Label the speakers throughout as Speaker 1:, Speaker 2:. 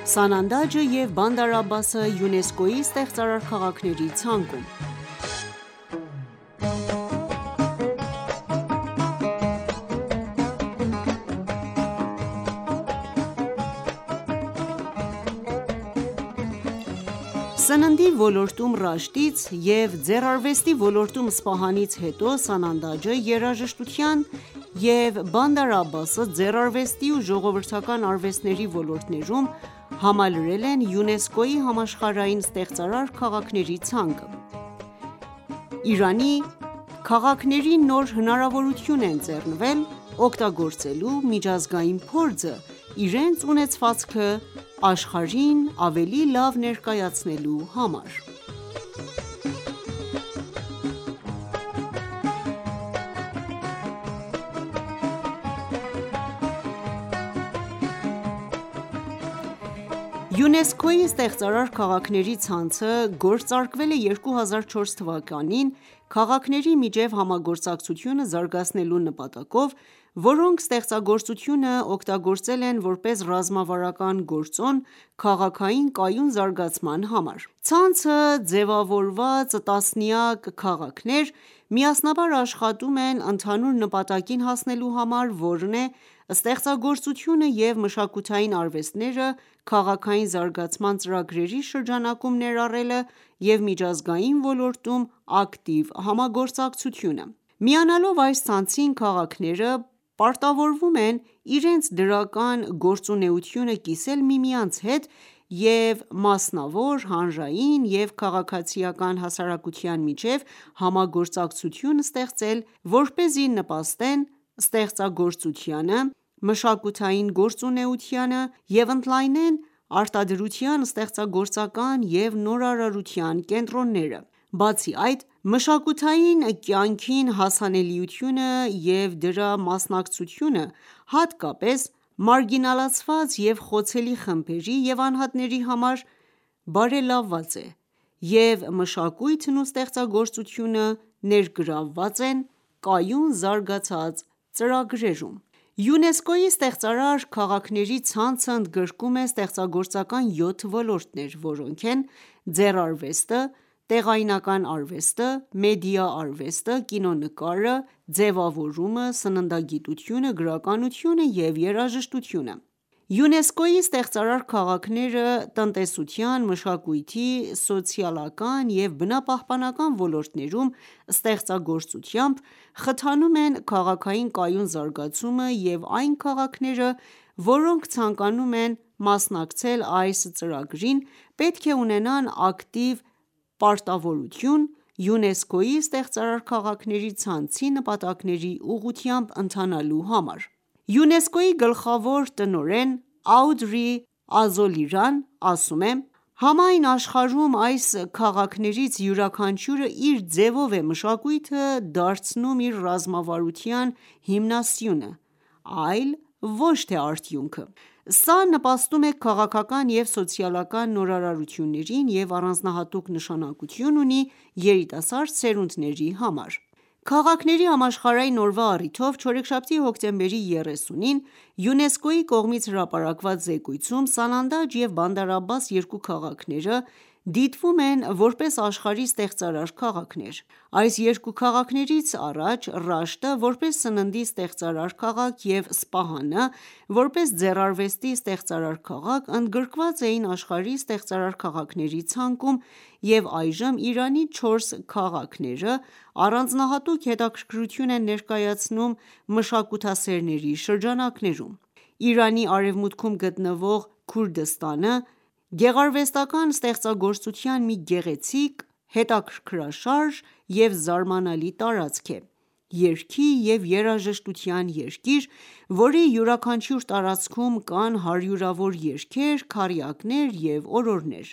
Speaker 1: Սանանդաջը և Բանդար Աբբասը ՅՈՒՆԵՍԿՕ-ի ստեղծարար քաղաքների ցանկում Սննդի ոլորտում Ռաշդից և ձեռարվեստի ոլորտում Սպահանից հետո Սանանդաջը երաժշտության և Բանդար Աբբասը ձեռարվեստի ու ժողովրդական արվեստների ոլորտներում համալրել են ՅՈՒՆԵՍԿՕ-ի համաշխարհային ստեղծարար քաղաքների ցանկը: Իրանի քաղաքներին նոր հնարավորություն է ընձեռնվել օգտագործելու միջազգային փորձը իրենց ունեցվածքը աշխարհին ավելի լավ ներկայացնելու համար: ՅՈՒՆԵՍԿՕ-ի ստեղծարար քաղաքների ցանցը գործարկվել է 2004 թվականին քաղաքների միջև համագործակցությունը զարգացնելու նպատակով, որոնք ստեղծագործությունը օգտագործել են որպես ռազմավարական գործոն քաղաքային կայուն զարգացման համար: Ցանցը ձևավորված տասնյակ քաղաքներ միասնաբար աշխատում են ընդհանուր նպատակին հասնելու համար, որն է ստեղծագործությունը և մշակութային արվեստները քաղաքային զարգացման ծրագրերի շրջանակում ներառելը և միջազգային ոլորտում ակտիվ համագործակցությունը: Միանալով այս ցանցին քաղաքները պարտավորվում են իրենց դրական գործունեությունը կիսել միմյանց հետ և մասնավոր, հանրային և քաղաքացիական հասարակության միջև համագործակցություն ստեղծել, որպեսզի նպաստեն ստեղծագործությանը, մշակութային գործունեությանը և ընդլայնեն արտադրության, ստեղծագործական և նորարարության կենտրոնները: Բացի այդ, մշակութային կյանքին հասանելիությունը և դրա մասնակցությունը, հատկապես մարգինալացված և խոցելի խմբերի և անհատների համար բարելավված է, և մշակույթն ու ստեղծագործությունը ներգրավված են կայուն զարգացած ծրագրերում: ՅՈՒՆԵՍԿՕ-ի ստեղծարար քաղաքների ցանցը ընդգրկում է ստեղծագործական 7 ոլորտներ, որոնք են՝ ձեռարվեստը, տեղայնական արվեստը, մեդիա արվեստը, կինոնկարը, ձևավորումը, սննդագիտությունը, գրականությունը և երաժշտությունը: ՅՈՒՆԵՍԿՕ-ի ստեղծարար քաղաքները տնտեսության, մշակույթի, սոցիալական և բնապահպանական ոլորտներում ստեղծագործությամբ խթանում են քաղաքային կայուն զարգացումը և այն քաղաքները, որոնք ցանկանում են մասնակցել այս ծրագրին, պետք է ունենան ակտիվ պարտավորություն ՅՈՒՆԵՍԿՕ-ի ստեղծարար քաղաքների ցանցի նպատակների ուղղությամբ ընթանալու համար: ՅՈՒՆԵՍԿՕ-ի գլխավոր տնօրեն Աուդրի Ազոլիրան ասում է. «Համայն աշխարհում այս քաղաքներից յուրաքանչյուրը իր ձևով է մշակույթը դարձնում իր ռազմավարության հիմնասյունը, այլ ոչ թե արդյունքը: Սա նպաստում է քաղաքական և սոցիալական նորարարություններին և առանձնահատուկ նշանակություն ունի երիտասարդ սերունդների համար»: Քաղաքների համաշխարհային օրվա առիթով չորեքշաբթի հոկտեմբերի 30-ին ՅՈՒՆԵՍԿՕ-ի կողմից հրապարակված զեկույցում Սանանդաջ և Բանդար Աբբաս երկու քաղաքները դիտվում են որպես աշխարհի ստեղծարար քաղաքներ: Այս երկու քաղաքներից առաջ Ռաշտը, որպես սննդի ստեղծարար քաղաք և Սպահանը, որպես ձեռարվեստի ստեղծարար քաղաք, ընդգրկված էին աշխարհի ստեղծարար քաղաքների ցանկում և այժմ Իրանի չորս քաղաքները առանձնահատուկ հետաքրքրություն են ներկայացնում մշակութասերների շրջանակներում: Իրանի արևմուտքում գտնվող Քուրդստանը գեղարվեստական ստեղծագործության մի գեղեցիկ, հետաքրքրաշարժ և զարմանալի տարածք է: Երգի և երաժշտության երկիր, որի յուրաքանչյուր տարածքում կան հարյուրավոր երգեր, քառյակներ և օրորներ: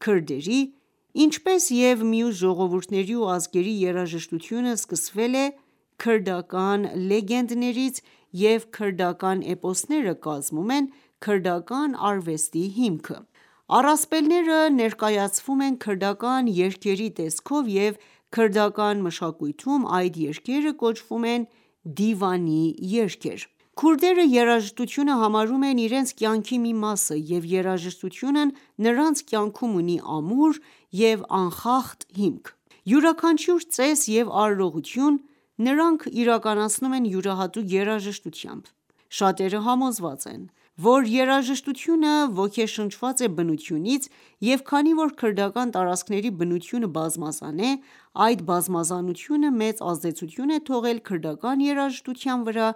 Speaker 1: Քրդերի, ինչպես և մյուս ժողովուրդների ու ազգերի երաժշտությունը սկսվել է քրդական լեգենդներից և քրդական էպոսները կազմում են քրդական արվեստի հիմքը: Առասպելները ներկայացվում են քրդական երգերի տեսքով և քրդական մշակույթում այդ երգերը կոչվում են դիվանի երգեր: Քուրդերը երաժշտությունը համարում են իրենց կյանքի մի մասը և երաժշտությունն նրանց կյանքում ունի ամուր և անխախտ հիմք: Յուրաքանչյուր ծես և արարողություն նրանք իրականացնում են յուրահատուկ երաժշտությամբ: Շատերը համոզված են, որ երաժշտությունը ոգեշնչված է բնությունից և քանի որ քրդական տարածքների բնությունը բազմազան է, այդ բազմազանությունը մեծ ազդեցություն է թողել քրդական երաժշտության վրա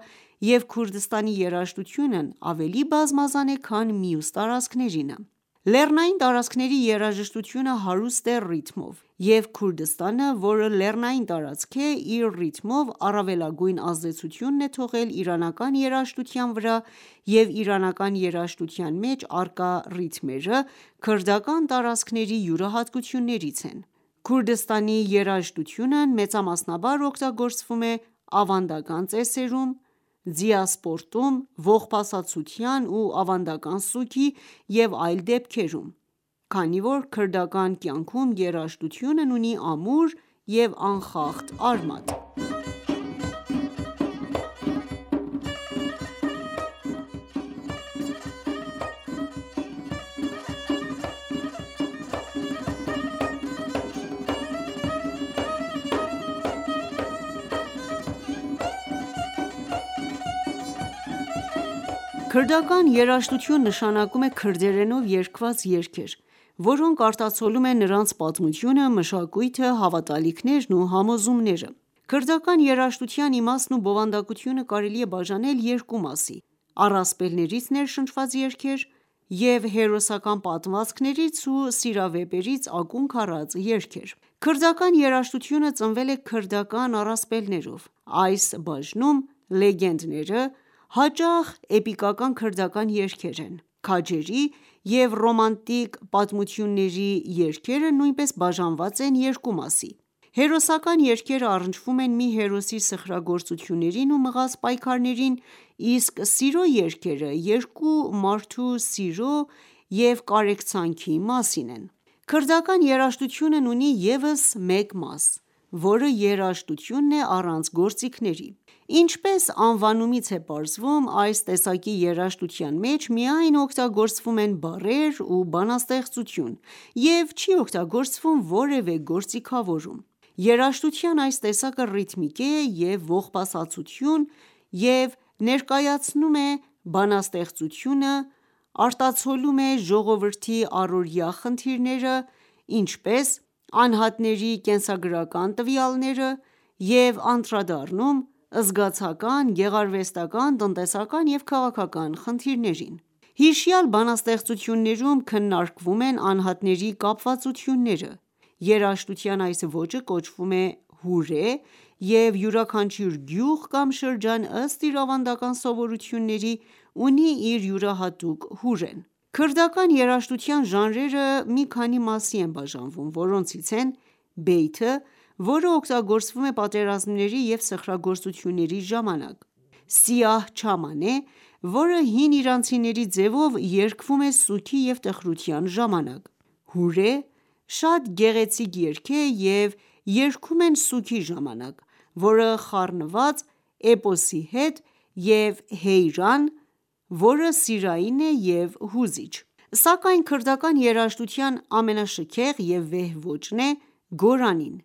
Speaker 1: և Քուրդստանի երաժշտությունն ավելի բազմազան է, քան մյուս տարածքներինը: Լեռնային տարածքների երաժշտությունը հարուստ է ռիթմով, և Քուրդստանը, որը լեռնային տարածք է, իր ռիթմով առավելագույն ազդեցությունն է թողել իրանական երաժշտության վրա և իրանական երաժշտության մեջ առկա ռիթմերը քրդական տարածքների յուրահատկություններից են: Քուրդստանի երաժշտությունն մեծամասնաբար օգտագործվում է ավանդական ծեսերում, ձիասպորտում, ողբասացության ու ավանդական սուգի և այլ դեպքերում, քանի որ քրդական կյանքում երաժշտությունն ունի ամուր և անխախտ արմատ: Քրդական երաժշտություն նշանակում է քրդերենով երգված երգեր, որոնք արտացոլում են նրանց պատմությունը, մշակույթը, հավատալիքներն ու համոզումները: Քրդական երաժշտության իմաստն ու բովանդակությունը կարելի է բաժանել երկու մասի՝ առասպելներից ներշնչված երգեր և հերոսական պատմվածքներից ու սիրավեպերից ակունք առած երգեր: Քրդական երաժշտությունը ծնվել է քրդական առասպելներով: Այս բաժնում լեգենդները հաճախ էպիկական քրդական երգեր են: Քաջերի և ռոմանտիկ պատմությունների երգերը նույնպես բաժանված են երկու մասի: Հերոսական երգերը առնչվում են մի հերոսի սխրագործություններին ու մղած պայքարներին, իսկ սիրո երգերը երկու մարդու սիրո և կարեկցանքի մասին են: Քրդական երաժշտությունն ունի ևս մեկ մաս, որը երաժշտությունն է առանց գործիքների: Ինչպես անվանումից է պարզվում, այս տեսակի երաժշտության մեջ միայն օգտագործվում են բառեր ու բանաստեղծություն և չի օգտագործվում որևէ գործիքավորում: Երաժշտության այս տեսակը ռիթմիկ է և ողբասացություն և ներկայացնում է բանաստեղծությունը, արտացոլում է ժողովրդի առօրյա խնդիրները, ինչպես անհատների կենսագրական տվյալները և անդրադառնում զգացական, գեղարվեստական, տնտեսական և քաղաքական խնդիրներին: Հիշյալ բանաստեղծություններում քննարկվում են անհատների կապվածությունները: Երաժշտության այս ոճը կոչվում է հուրե և յուրաքանչյուր գյուղ կամ շրջան ըստ իր ավանդական սովորույթների ունի իր յուրահատուկ հուրեն: Քրդական երաժշտության ժանրերը մի քանի մասի են բաժանվում, որոնցից են բեյթը, որը օգտագործվում է պատերազմների և սխրագործությունների ժամանակ, սիահ չամանե, որը հին իրանցիների ձևով երգվում է սուգի և տխրության ժամանակ, հուրե շատ գեղեցիկ երգ է և երգում են սուգի ժամանակ, որը խառնված էպոսի հետ և հեյրան, որը սիրային է և հուզիչ: Սակայն քրդական երաժշտության ամենաշքեղ և վեհ ոճն է գորանին,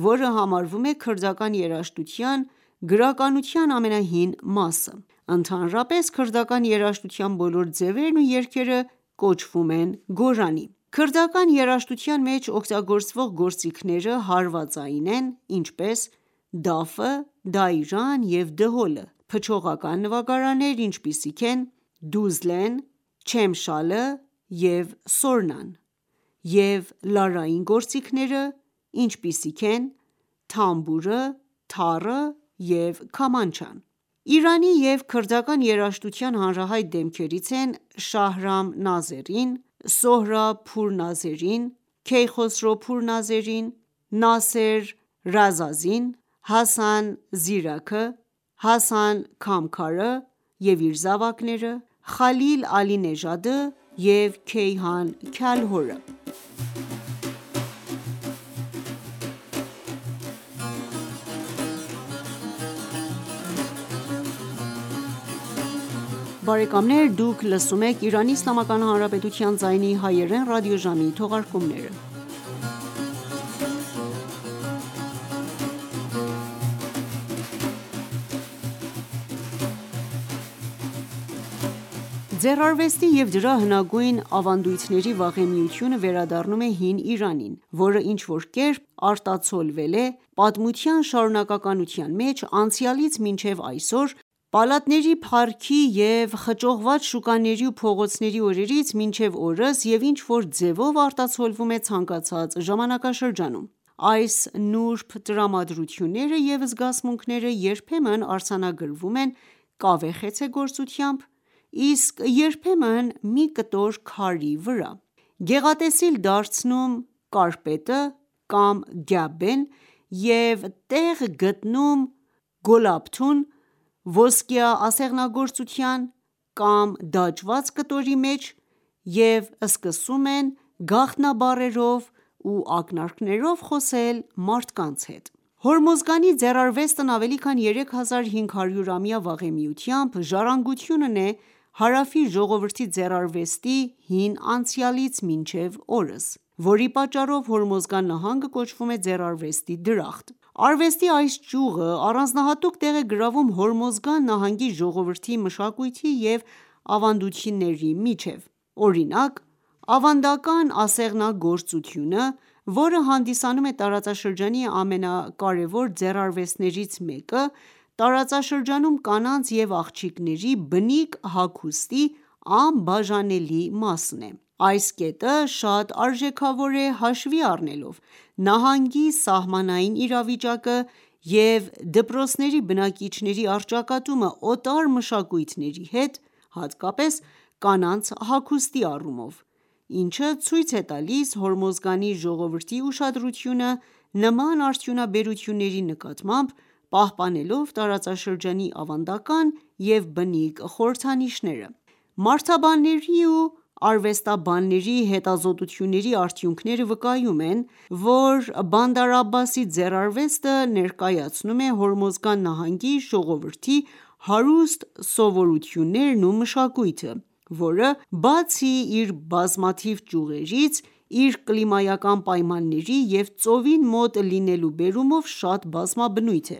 Speaker 1: որը համարվում է քրդական երաժշտության գրականության ամենահին մասը: Ընդհանրապես, քրդական երաժշտության բոլոր ձևերն ու երգերը կոչվում են գորանի: Քրդական երաժշտության մեջ օգտագործվող գործիքները հարվածային են, ինչպես դաֆը, դայրան և դհոլը, փչողական նվագարաններ, ինչպիսիք են դուզլեն, չեմշալը և սորնան և լարային գործիքները, ինչպիսիք են թամբուրը, թառը և քամանչան: Իրանի և քրդական երաժշտության հանրահայտ դեմքերից են Շահրամ Նազերին, Սոհրաբ Փուրնազերին, Քեյխոսրո Փուրնազերին, Նասեր Ռազազին, Հասան Զիրաքը, Հասան Քամքարը և իր զավակները, Խալիլ Ալի Նեժադը և Քեյհան Քյալհորը: բարեկամներ դուք լսում եք Իրանի Իսլամական Հանրապետության ձայնի հայերեն ռադիոժամի թողարկումները: Ձեռարվեստի և դրա հնագույն ավանդույթների վաղեմիությունը վերադառնում է հին Իրանին, որը ինչ-որ կերպ արտացոլվել է պատմության շարունակականության մեջ անցյալից մինչև այսօր, պալատների փառքի և խճողված շուկաների ու փողոցների օրերից մինչև օրս և ինչ-որ ձևով արտացոլվում է ցանկացած ժամանակաշրջանում: Այս նուրբ տրամադրությունները և զգացմունքները երբեմն արձանագրվում են կավե խեցեգործությամբ, իսկ երբեմն մի կտոր քարի վրա, գեղատեսիլ դարձնում կարպետը կամ գյաբեն և տեղ գտնում գոլաբթուն ոսկյա ասեղնագործության կամ դաջված կտորի մեջ և սկսում են գաղտնաբառերով ու ակնարկներով խոսել մարդկանց հետ: Հորմոզգանի ձեռարվեստն ավելի քան 3500-ամյա վաղեմիությամբ ժառանգությունն է հարավի ժողովրդի ձեռարվեստի հին անցյալից մինչև օրս, որի պատճառով Հորմոզգան նահանգը կոչվում է ձեռարվեստի դրախտ: Արվեստի այս ճյուղը առանձնահատուկ տեղ է գրավում Հորմոզգան նահանգի ժողովրդի մշակույթի և ավանդությունների միջև: Օրինակ ավանդական ասեղնագործությունը, որը հանդիսանում է տարածաշրջանի ամենակարևոր ձեռարվեստներից մեկը, տարածաշրջանում կանանց և աղջիկների բնիկ հագուստի անբաժանելի մասն է: Այս կետը շատ արժեքավոր է հաշվի առնելով նահանգի սահմանային իրավիճակը և դպրոցների բնակիչների առճակատումը օտար մշակույթների հետ, հատկապես կանանց հագուստի առումով, ինչը ցույց է տալիս Հորմոզգանի ժողովրդի ուշադրությունը նման արդյունաբերությունների նկատմամբ, պահպանելով տարածաշրջանի ավանդական և բնիկ խորհրդանիշները: Մարդաբանների ու արվեստաբանների հետազոտությունների արդյունքները վկայում են, որ Բանդար Աբբասի ձեռարվեստը ներկայացնում է Հորմոզգան նահանգի ժողովրդի հարուստ սովորույթներն ու մշակույթը, որը բացի իր բազմաթիվ ճյուղերից, իր կլիմայական պայմանների և ծովին մոտ լինելու բերումով շատ բազմաբնույթ է: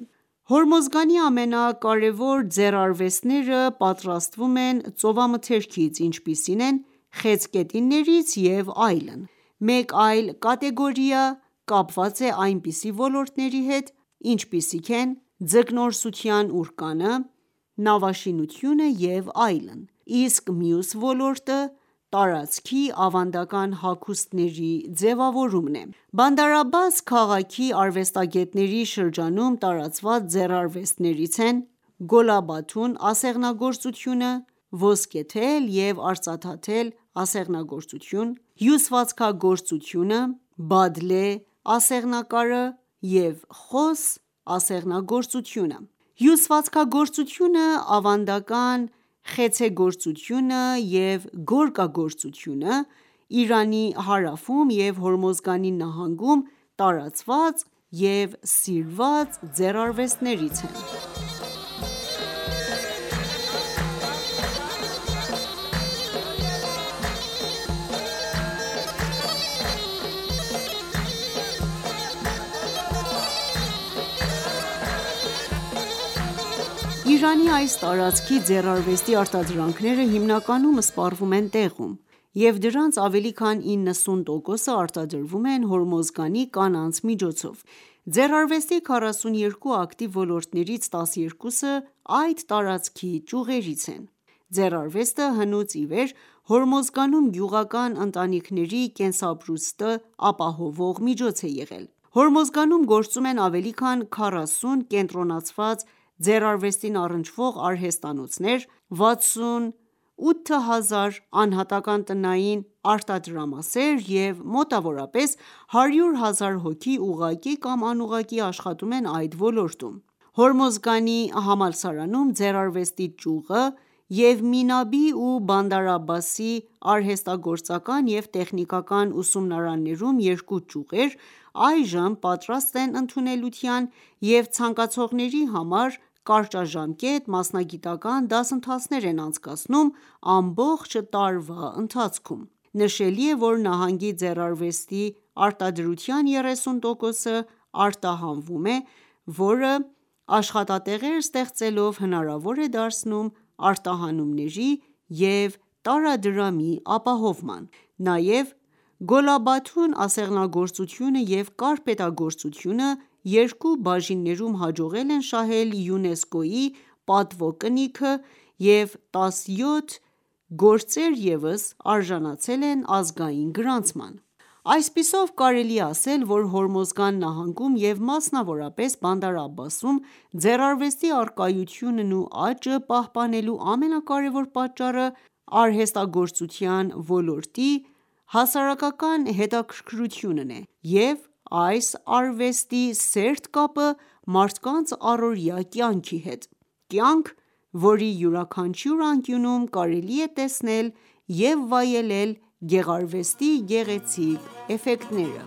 Speaker 1: Հորմոզգանի ամենակարևոր ձեռարվեստները պատրաստվում են ծովամթերքից, ինչպիսին են խեցգետիններից և այլն: Մեկ այլ կատեգորիա կապված է այնպիսի ոլորտների հետ, ինչպիսիք են ձկնորսության ուրկանը, նավաշինությունը և այլն, իսկ մյուս ոլորտը տարածքի ավանդական հագուստների ձևավորումն է: Բանդար Աբբաս քաղաքի արվեստագետների շրջանում տարածված ձեռարվեստներից են գոլաբաթուն ասեղնագործությունը, ոսկեթել և արծաթաթել ասեղնագործություն, հյուսվածքագործությունը, բադլե ասեղնակարը և խոս ասեղնագործությունը: Հյուսվածքագործությունը, ավանդական խեցեգործությունը և գորգագործությունը Իրանի հարավում և Հորմոզգանի նահանգում տարածված և սիրված ձեռարվեստներից են: Իրանի այս տարածքի ձեռարվեստի արտադրանքները հիմնականում սպառվում են տեղում և դրանց ավելի քան 90%-ը արտադրվում են Հորմոզգանի կանանց միջոցով: Ձեռարվեստի 42 ակտիվ ոլորտներից 12-ը այդ տարածքի ճյուղերից են: Ձեռարվեստը հնուց իվեր Հորմոզգանում գյուղական ընտանիքների կենսապրուստը ապահովող միջոց է եղել: Հորմոզգանում գործում են ավելի քան 40 կենտրոնացված ձեռարվեստին առնչվող արհեստանոցներ, 68 հազար անհատական տնային արտադրամասեր և մոտավորապես 100 հազար հոգի ուղղակի կամ անուղղակի աշխատում են այդ ոլորտում: Հորմոզգանի համալսարանում ձեռարվեստի ճյուղը և Մինաբի ու Բանդար Աբբասի արհեստագործական և տեխնիկական ուսումնարաններում երկու ճյուղեր այժմ պատրաստ են ընդունելության և ցանկացողների համար կարճաժամկետ մասնագիտական դասընթացներ են անցկացնում ամբողջ տարվա ընթացքում: Նշելի է, որ նահանգի ձեռարվեստի արտադրության 30%-ը արտահանվում է, որը աշխատատեղեր ստեղծելով հնարավոր է դարձնում արտահանումների և տարադրամի ապահովման: Նաև Գոլաբաթուն ասեղնագործությունը և կարպետագործությունը երկու բաժիններում հաջողել են շահել ՅՈՒՆԵՍԿՕ-ի պատվո կնիքը և 17 գործեր ևս արժանացել են ազգային գրանցման: Այսպիսով կարելի է ասել, որ Հորմոզգան նահանգում և մասնավորապես Բանդար Աբբասում ձեռարվեստի առկայությունն ու աճը պահպանելու ամենակարևոր պատճառը արհեստագործության ոլորտի հասարակական հետաքրքրությունն է և այս արվեստի սերտ կապը մարդկանց առօրյա կյանքի հետ: Կյանք, որի յուրաքանչյուր անկյունում կարելի է տեսնել և վայելել գեղարվեստի գեղեցիկ էֆեկտները: